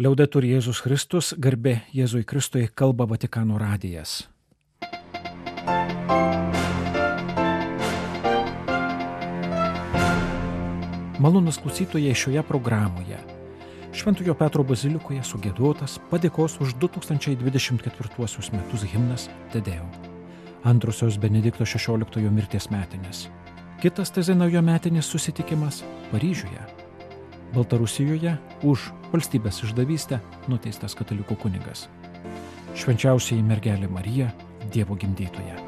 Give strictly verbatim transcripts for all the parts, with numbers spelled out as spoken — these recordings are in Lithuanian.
Liaudetur Jėzus Kristus, garbė Jėzui Kristui, kalba Vatikano radijas. Malonūs klausytojai, šioje programoje Šventojo Petro bazilikoje sugiedotas padėkos už du tūkstančiai dvidešimt ketvirtuosius metus himnas Te Deum. Antrosios Benedikto šešioliktojo mirties metinės. Kitas Tezenojo metinis susitikimas Paryžiuje. Baltarusijoje už valstybės išdavystę nuteistas katalikų kunigas. Švenčiausioji mergelė Marija, Dievo gimdytoja.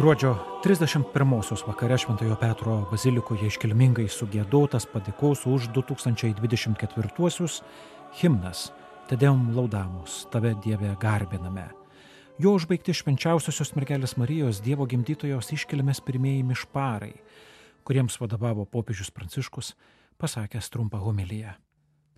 Gruodžio trisdešimt pirmosios vakare Šventojo Petro bazilikoje iškilmingai sugiedotas padėkos už du tūkstančiai dvidešimt ketvirtuosius himnas Te Deum laudamus, tave Dieve garbiname. Jo užbaigti švenčiausiosios mergelės Marijos Dievo gimdytojos iškilmės pirmieji mišparai, kuriems vadovavo popiežius Pranciškus, pasakęs trumpą homiliją.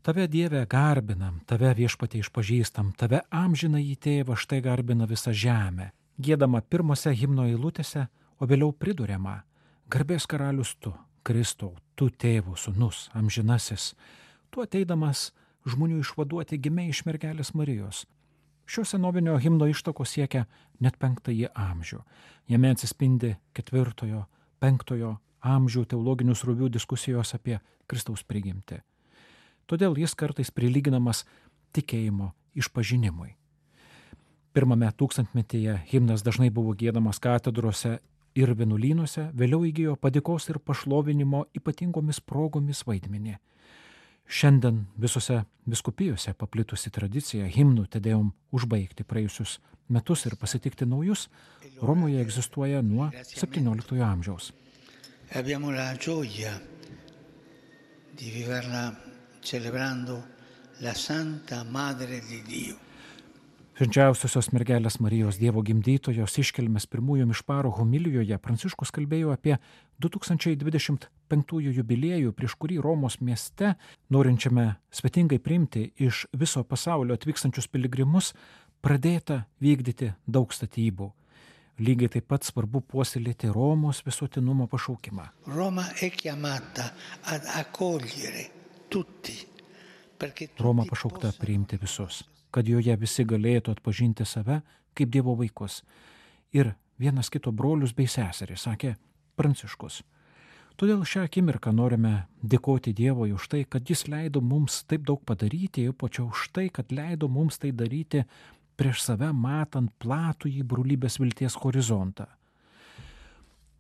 Tave Dieve garbinam, tave viešpatie išpažįstam, tave amžinąjį tėvą štai garbina visa žemė. Giedama pirmose himno eilutėse, o vėliau priduriama: garbės karalius tu, Kristau, tu tėvo sūnus, amžinasis, tu ateidamas žmonių išvaduoti gimei iš mergelės Marijos. Šio senovinio himno ištakos siekia net penktąjį amžių. Jame atsispindi ketvirtojo, penktojo amžių teologinių srovių diskusijos apie Kristaus prigimtį. Todėl jis kartais prilyginamas tikėjimo išpažinimui. Pirmame tūkstantmetyje himnas dažnai buvo giedamas katedrose ir vienuolynuose, vėliau įgijo padėkos ir pašlovinimo ypatingomis progomis vaidmenį. Šiandien visose vyskupijose paplitusi tradicija himnų Te Deum užbaigti praėjusius metus ir pasitikti naujus Romoje egzistuoja nuo septynioliktojo amžiaus. Abbiamo la gioia di viverla celebrando la Santa Madre di Dio. Švenčiausiosios mergelės Marijos Dievo gimdytojos iškilmės pirmųjų mišparų homilijoje Pranciškus kalbėjo apie du tūkstančiai dvidešimt penktųjų jubiliejų, prieš kurį Romos mieste, norinčiame svetingai priimti iš viso pasaulio atvykstančius piligrimus, pradėta vykdyti daug statybų. Lygiai taip pat svarbu puoselėti Romos visuotinumo pašaukimą. Roma è chiamata ad accogliere tutti. Roma pašaukta priimti visus, kad joje visi galėtų atpažinti save kaip Dievo vaikus ir vienas kito brolius bei seserį, sakė Pranciškus. Todėl šią akimirką norime dėkoti Dievui už tai, kad jis leido mums taip daug padaryti, ypač už tai, kad leido mums tai daryti prieš save matant platųjį brolybės vilties horizontą.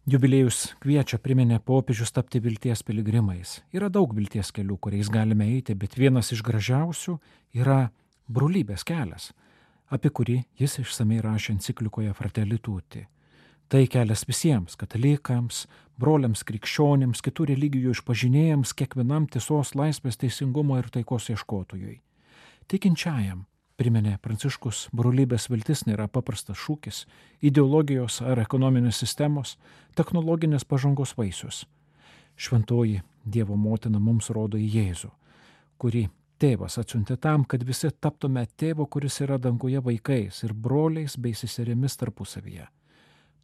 Jubiliejus kviečia, priminė popiežius, tapti vilties piligrimais. Yra daug vilties kelių, kuriais galime eiti, bet vienas iš gražiausių yra brolybės kelias, apie kurį jis išsamei rašė enciklikoje Fratelli Tutti. Tai kelias visiems, katalikams, broliams krikščionims, kitų religijų išpažinėjams, kiekvienam tiesos, laisvės, teisingumo ir taikos ieškotojui. Tikinčiajam, priminė Pranciškus, brolybės viltis nėra paprastas šūkis, ideologijos ar ekonominės sistemos, technologinės pažangos vaisius. Šventoji Dievo motina mums rodo į Jėzų, kurį Tėvas atsiuntė tam, kad visi taptume tėvo, kuris yra danguje, vaikais ir broliais bei seserimis tarpusavyje.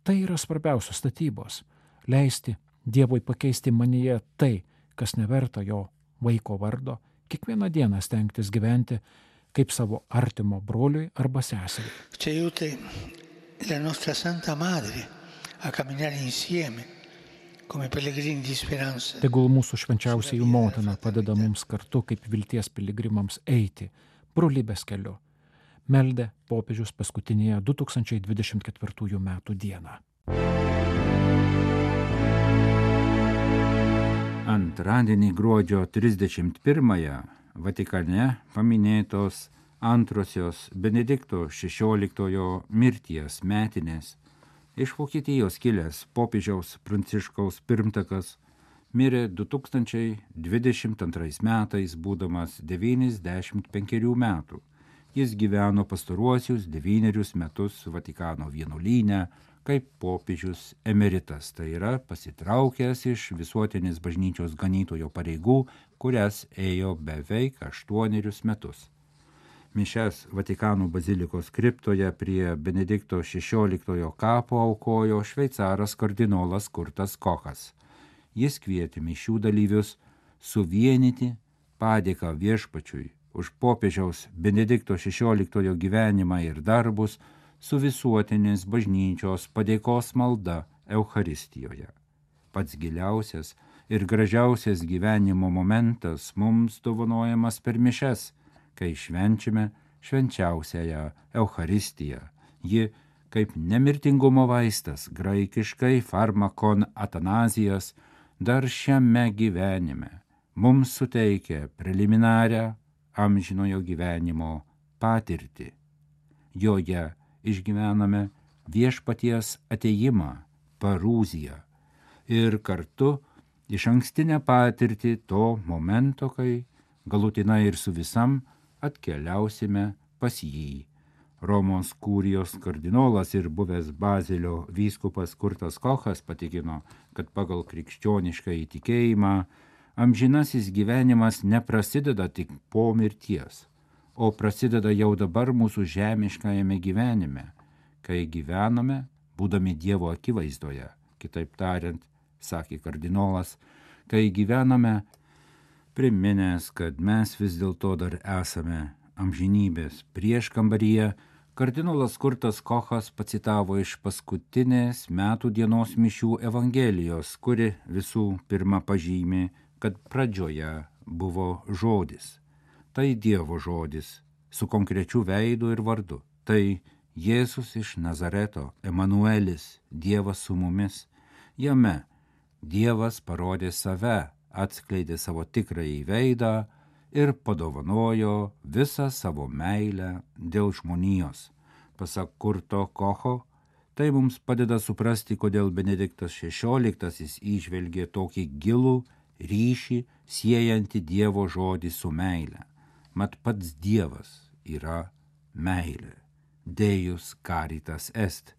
Tai yra svarbiausios statybos - leisti Dievui pakeisti manyje tai, kas neverta jo vaiko vardo, kiekvieną dieną stengtis gyventi kaip savo artimo broliui arba seseriai. Ci aiuti la nostra Santa Madre a camminare insieme. Tegul mūsų švenčiausiųjų motina padeda mums kartu kaip vilties piligrimams eiti brolybės keliu, meldė popiežius paskutinėje du tūkstančiai dvidešimt ketvirtųjų metų dieną. Antradienį gruodžio trisdešimt pirmąją Vatikane paminėtos antrosios Benedikto šešioliktojo mirties metinės. Iš Vokietijos kilęs popiežiaus Pranciškaus pirmtakas mirė du tūkstančiai dvidešimt antrais metais, būdamas devyniasdešimt penkerių metų. Jis gyveno pastaruosius devynerius metus Vatikano vienuolyne, kaip popiežius emeritas, tai yra pasitraukęs iš visuotinės bažnyčios ganytojo pareigų, kurias ėjo beveik aštuonerius metus. Mišias Vatikano bazilikos kriptoje prie Benedikto šešioliktojo kapo aukojo šveicaras kardinolas Kurtas Kochas. Jis kvietė mišių dalyvius suvienyti padėką viešpačiui už popiežiaus Benedikto šešioliktojo gyvenimą ir darbus su visuotinės bažnyčios padėkos malda Eucharistijoje. Pats giliausias ir gražiausias gyvenimo momentas mums dovanojamas per mišias, kai švenčiame švenčiausiąją Eucharistiją. Ji, kaip nemirtingumo vaistas, graikiškai farmakon atanazijas, dar šiame gyvenime mums suteikia preliminarią amžinojo gyvenimo patirtį. Joje išgyvename viešpaties atėjimą, parūziją ir kartu iš ankstinę patirtį to momento, kai galutinai ir su visam atkeliausime pas jį. Romos kurijos kardinolas ir buvęs Bazilio vyskupas Kurtas Kochas patikino, kad pagal krikščionišką įtikėjimą amžinasis gyvenimas neprasideda tik po mirties, o prasideda jau dabar mūsų žemiškajame gyvenime, kai gyvename, būdami Dievo akivaizdoje. Kitaip tariant, sakė kardinolas, kai gyvename priminęs, kad mes vis dėlto dar esame amžinybės prieškambaryje, kardinolas Kurtas Kochas pacitavo iš paskutinės metų dienos mišių Evangelijos, kuri visų pirma pažymi, kad pradžioje buvo žodis. Tai Dievo žodis, su konkrečiu veidu ir vardu. Tai Jėzus iš Nazareto, Emanuelis, Dievas su mumis. Jame Dievas parodė save, atskleidė savo tikrąjį veidą ir padovanojo visą savo meilę dėl žmonijos. Pasak Kurto Kocho, tai mums padeda suprasti, kodėl Benediktas šešioliktasis įžvelgė tokį gilų ryšį siejantį Dievo žodį su meile. Mat pats Dievas yra meilė. Deus caritas est.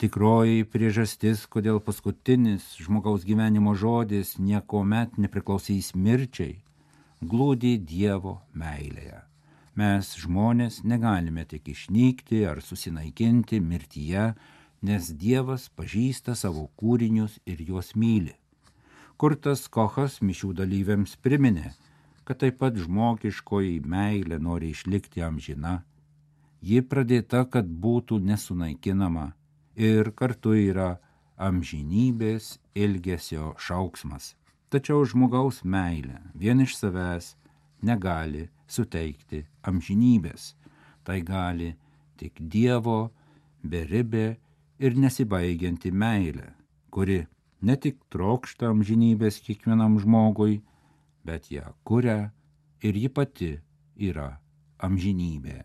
Tikroji priežastis, kodėl paskutinis žmogaus gyvenimo žodis niekuomet nepriklausys mirčiai, glūdi Dievo meilėje. Mes žmonės negalime tik išnykti ar susinaikinti mirtyje, nes Dievas pažįsta savo kūrinius ir juos myli. Kurtas Kochas mišių dalyviams priminė, kad taip pat žmogiškoji meilė nori išlikti amžina. Ji pradėta, kad būtų nesunaikinama ir kartu yra amžinybės ilgesio šauksmas. Tačiau žmogaus meilė vien iš savęs negali suteikti amžinybės. Tai gali tik Dievo beribė ir nesibaigianti meilė, kuri ne tik trokšta amžinybės kiekvienam žmogui, bet ją kuria ir ji pati yra amžinybė.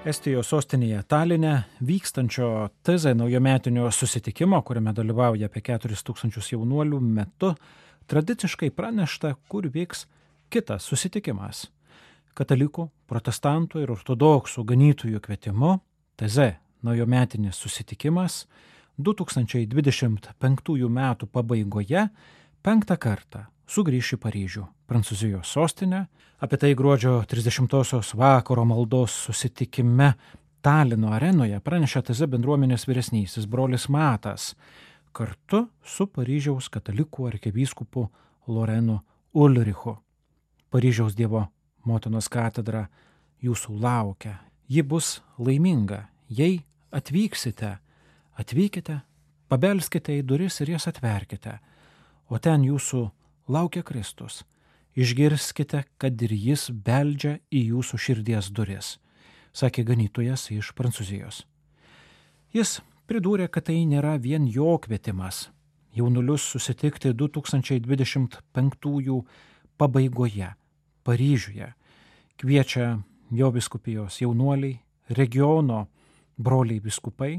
Estijos sostinėje Taline vykstančio T Z naujametinio susitikimo, kuriame dalyvauja apie keturis tūkstančius jaunuolių metu, tradiciškai pranešta, kur vyks kitas susitikimas. Katalikų, protestantų ir ortodoksų ganytojų kvietimu T Z naujametinis susitikimas du tūkstančiai dvidešimt penktųjų metų pabaigoje penktą kartą sugrįš į Paryžių, Prancūzijos sostinę. Apie tai gruodžio trisdešimtosios vakaro maldos susitikime Talino arenoje pranešė T Z bendruomenės vyresnysis brolis Matas, kartu su Paryžiaus katalikų arkivyskupu Lorenu Ulrichu. Paryžiaus Dievo motinos katedra jūsų laukia. Ji bus laiminga, jei atvyksite, atvykite, pabelskite į duris ir jas atverkite, o ten jūsų laukia Kristus. Išgirskite, kad ir jis beldžia į jūsų širdies duris, sakė ganytojas iš Prancūzijos. Jis pridūrė, kad tai nėra vien jo kvietimas jaunulius susitikti du tūkstančiai dvidešimt penktųjų pabaigoje Paryžiuje. Kviečia jo vyskupijos jaunuoliai, regiono broliai vyskupai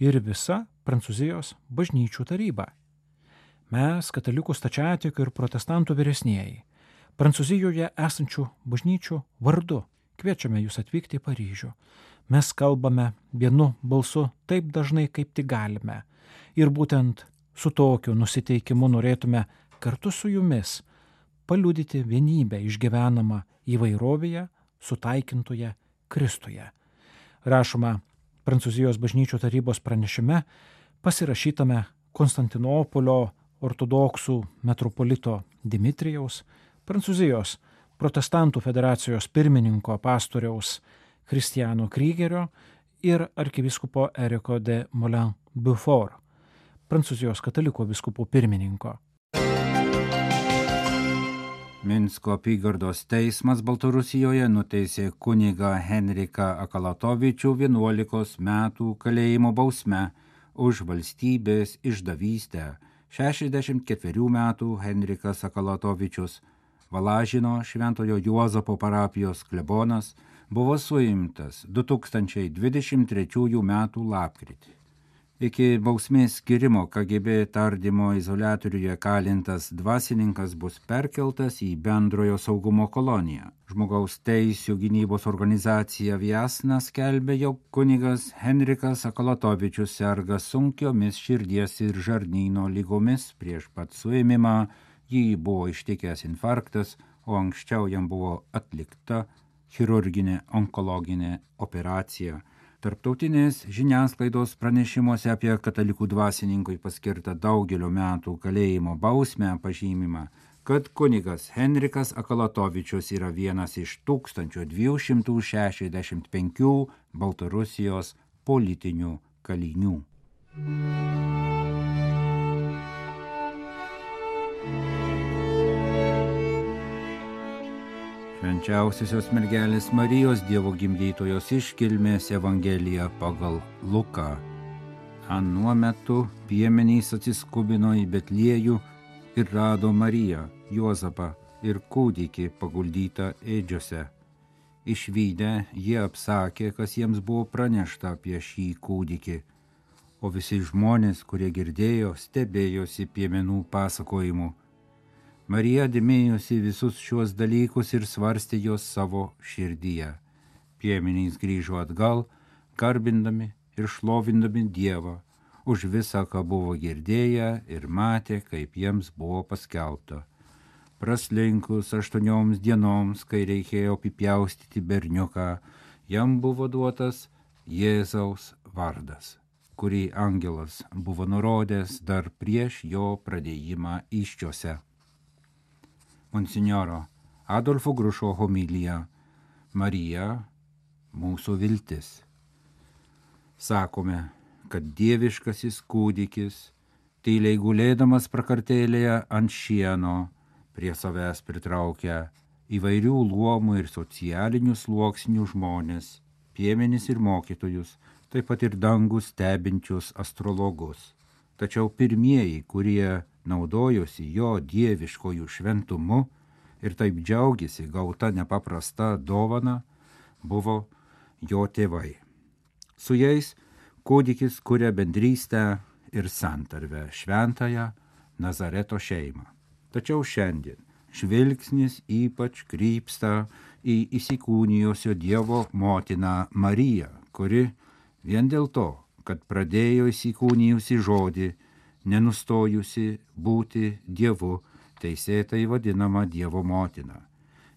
ir visa Prancūzijos bažnyčių taryba. Mes, katalikų stačiatikių ir protestantų vyresnieji, Prancūzijoje esančių bažnyčių vardu kviečiame jūs atvykti į Paryžių. mes kalbame vienu balsu taip dažnai, kaip tik galime. Ir būtent su tokiu nusiteikimu norėtume kartu su jumis paliudyti vienybę išgyvenamą įvairovėje, sutaikintoje Kristuje. Rašoma Prancūzijos bažnyčių tarybos pranešime, pasirašytame Konstantinopolio ortodoksų metropolito Dimitrijaus, Prancūzijos protestantų federacijos pirmininko pastoriaus Christiano Krygerio ir arkivyskupo Eriko de Moulin-Beaufort, Prancūzijos katalikų vyskupų pirmininko. Minsko apygardos teismas Baltarusijoje nuteisė kunigą Henriką Akalatovičių vienuolikos metų kalėjimo bausme už valstybės išdavystę. šešiasdešimt ketverių metų Henrikas Akalatovičius, Valažino Šventojo Juozapo parapijos klebonas, buvo suimtas du tūkstančiai dvidešimt trečiųjų metų lapkritį. Iki bausmės skirimo K G B tardymo izoliatoriuje kalintas dvasininkas bus perkeltas į bendrojo saugumo koloniją. Žmogaus teisių gynybos organizacija Viasna skelbė, jog kunigas Henrikas Akalatovičius serga sunkiomis širdies ir žarnyno lygomis. Prieš pat suėmimą jį buvo ištikęs infarktas, o anksčiau jam buvo atlikta chirurginė onkologinė operacija. Tarptautinės žiniasklaidos pranešimuose apie katalikų dvasininkui paskirtą daugelio metų kalėjimo bausmę pažymima, kad kunigas Henrikas Akalatovičius yra vienas iš tūkstančio dviejų šimtų šešiasdešimt penkių Baltarusijos politinių kalinių. Švenčiausiosios mergelės Marijos Dievo gimdytojos iškilmės Evangelija pagal Luką. Anuo metu piemenys atsiskubino į Betliejų ir rado Mariją, Juozapą ir kūdikį paguldytą ėdžiose. Išvydę jie apsakė, kas jiems buvo pranešta apie šį kūdikį, o visi žmonės, kurie girdėjo, stebėjosi piemenų pasakojimu. Marija dėmėjosi visus šiuos dalykus ir svarstė juos savo širdyje. Piemenys grįžo atgal, garbindami ir šlovindami Dievą už visą, ką buvo girdėję ir matė, kaip jiems buvo paskelbta. Praslinkus aštuonioms dienoms, kai reikėjo apipjaustyti berniuką, jam buvo duotas Jėzaus vardas, kurį angelas buvo nurodęs dar prieš jo pradėjimą įsčiose. Monsinjoro Adolfo Grušo homilija Marija – mūsų viltis. Sakome, kad dieviškasis kūdikis, tyliai gulėdamas prakartėlėje ant šieno, prie savęs pritraukia įvairių luomų ir socialinių sluoksnių žmonės, piemenis ir mokytojus, taip pat ir dangų stebinčius astrologus. Tačiau pirmieji, kurie naudojosi jo dieviškojų šventumu ir taip džiaugiasi gauta nepaprasta dovana, buvo jo tėvai. Su jais kūdikis kuria bendrystę ir santarvę, šventąją Nazareto šeimą. Tačiau šiandien žvilgsnis ypač krypsta į įsikūnijusio Dievo motiną Mariją, kuri vien dėl to, kad pradėjo įsikūnijusi žodį, nenustojusi būti Dievu, teisėtai vadinama Dievo motina.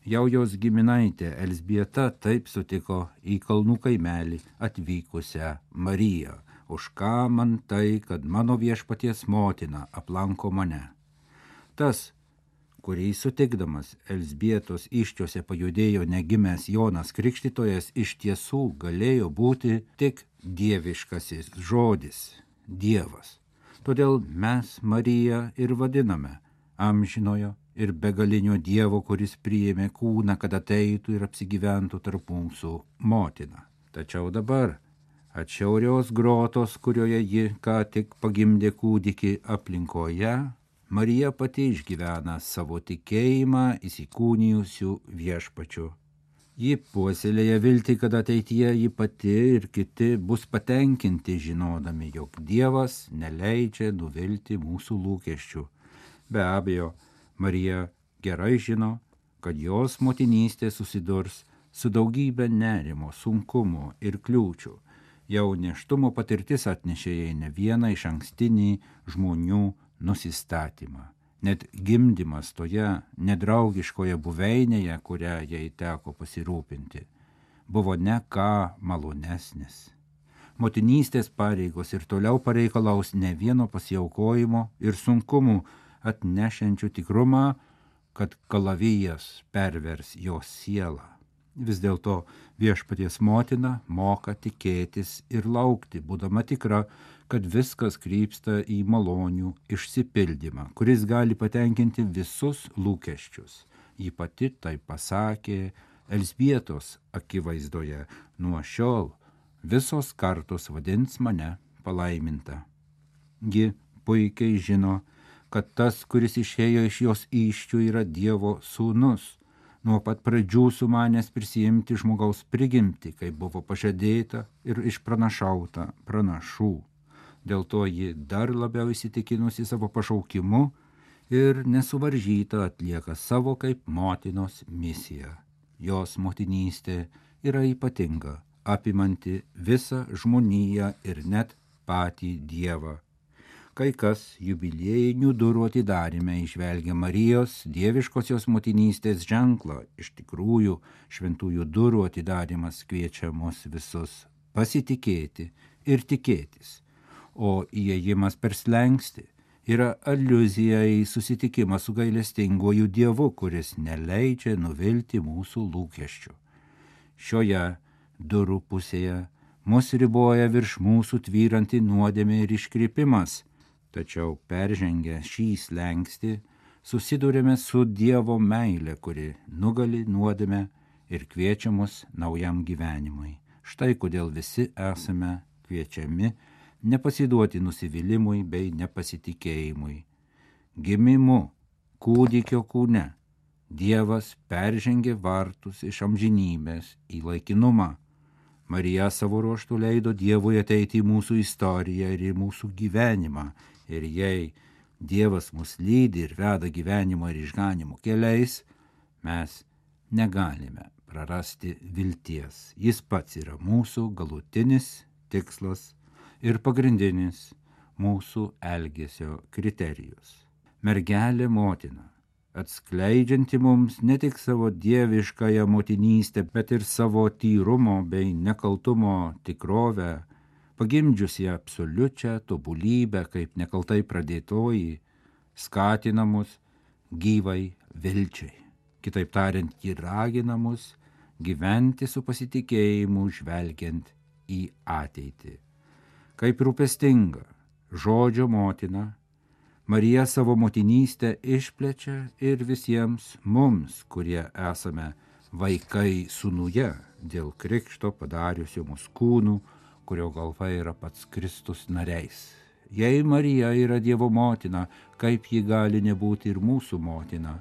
Jau jos giminaitė Elzbieta taip sutiko į kalnų kaimelį atvykusią Mariją. Už ką man tai, kad mano viešpaties motina aplanko mane? Tas, kurį sutikdamas Elzbietos iščiose pajudėjo negimęs Jonas Krikštytojas, iš tiesų galėjo būti tik dieviškasis žodis, Dievas. Todėl mes Mariją ir vadiname amžinojo ir begalinio Dievo, kuris priėmė kūną, kad ateitų ir apsigyventų tarp mūsų motina. Tačiau dabar atšiaurios grotos, kurioje ji ką tik pagimdė kūdikį aplinkoje, Marija pati išgyvena savo tikėjimą įsikūnijusių viešpačių. Ji puoselėja viltį, kad ateityje ji pati ir kiti bus patenkinti žinodami, jog Dievas neleidžia nuvilti mūsų lūkesčių. Be abejo, Marija gerai žino, kad jos motinystė susidurs su daugybė nerimo, sunkumų ir kliūčių. Jau nėštumo patirtis atnešė jai ne vieną iš ankstinį žmonių nusistatymą. Net gimdymas toje nedraugiškoje buveinėje, kurią jai teko pasirūpinti, buvo ne ką malonesnis. Motinystės pareigos ir toliau pareikalaus ne vieno pasiaukojimo ir sunkumų atnešiančių tikrumą, kad kalavijas pervers jos sielą. Vis dėlto Viešpaties motina moka tikėtis ir laukti, būdama tikra, kad viskas krypsta į malonių išsipildymą, kuris gali patenkinti visus lūkesčius. Ji pati tai pasakė Elzbietos akivaizdoje: nuo šiol visos kartos vadins mane palaiminta. Ji puikiai žino, kad tas, kuris išėjo iš jos įsčių, yra Dievo sūnus, nuo pat pradžių sumanęs prisijimti žmogaus prigimtį, kaip buvo pažadėta ir išpranašauta pranašų. Dėl to ji dar labiau įsitikinusi savo pašaukimu ir nesuvaržyta atlieka savo kaip motinos misiją. Jos motinystė yra ypatinga, apimanti visą žmoniją ir net patį Dievą. Kai kas jubiliejinių durų atidaryme įžvelgia Marijos dieviškosios motinystės ženklą. Iš tikrųjų, šventųjų durų atidarymas kviečia mus visus pasitikėti ir tikėtis, o įėjimas per slenkstį yra aliuzija į susitikimą su gailestinguoju Dievu, kuris neleidžia nuvilti mūsų lūkesčių. Šioje durų pusėje mus riboja virš mūsų tvyranti nuodėmė ir iškrypimas, tačiau peržengę šį slenkstį susidurėme su Dievo meile, kuri nugali nuodėmę ir kviečia mus naujam gyvenimui. Štai kodėl visi esame kviečiami nepasiduoti nusivylimui bei nepasitikėjimui. Gimimu kūdikio kūne Dievas peržengė vartus iš amžinybės į laikinumą. Marija savo ruožtu leido Dievui ateiti į mūsų istoriją ir į mūsų gyvenimą. Ir jei Dievas mus lydi ir veda gyvenimo ir išganimo keliais, mes negalime prarasti vilties. Jis pats yra mūsų galutinis tikslas ir pagrindinis mūsų elgesio kriterijus. Mergelė motina, atskleidžianti mums ne tik savo dieviškąją motinystę, bet ir savo tyrumo bei nekaltumo tikrovę, pagimdžiusi absoliučią tobulybę kaip nekaltai pradėtoji, skatina mus gyvai vilčiai. Kitaip tariant, ji ragina mus gyventi su pasitikėjimu, žvelgiant į ateitį. Kaip rūpestinga žodžio motina, Marija savo motinystę išplečia ir visiems mums, kurie esame vaikai sūnuje, dėl krikšto padariusio mus kūnų, kurio galva yra pats Kristus nariais. Jei Marija yra Dievo motina, kaip ji gali nebūti ir mūsų motina?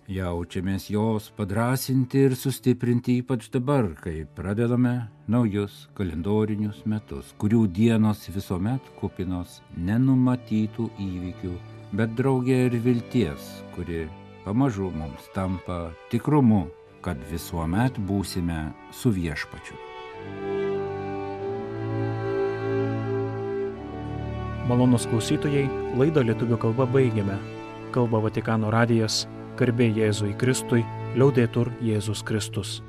Jaučiamės jos padrasinti ir sustiprinti ypač dabar, kai pradedame naujus kalendorinius metus, kurių dienos visuomet kupinos nenumatytų įvykių, bet drauge ir vilties, kuri pamažu mums tampa tikrumu, kad visuomet būsime su Viešpačiu. Malonūs klausytojai, laidą lietuvių kalba baigiame. Kalba Vatikano radijas, garbė Jėzui Kristui, liaudetur Jėzus Kristus.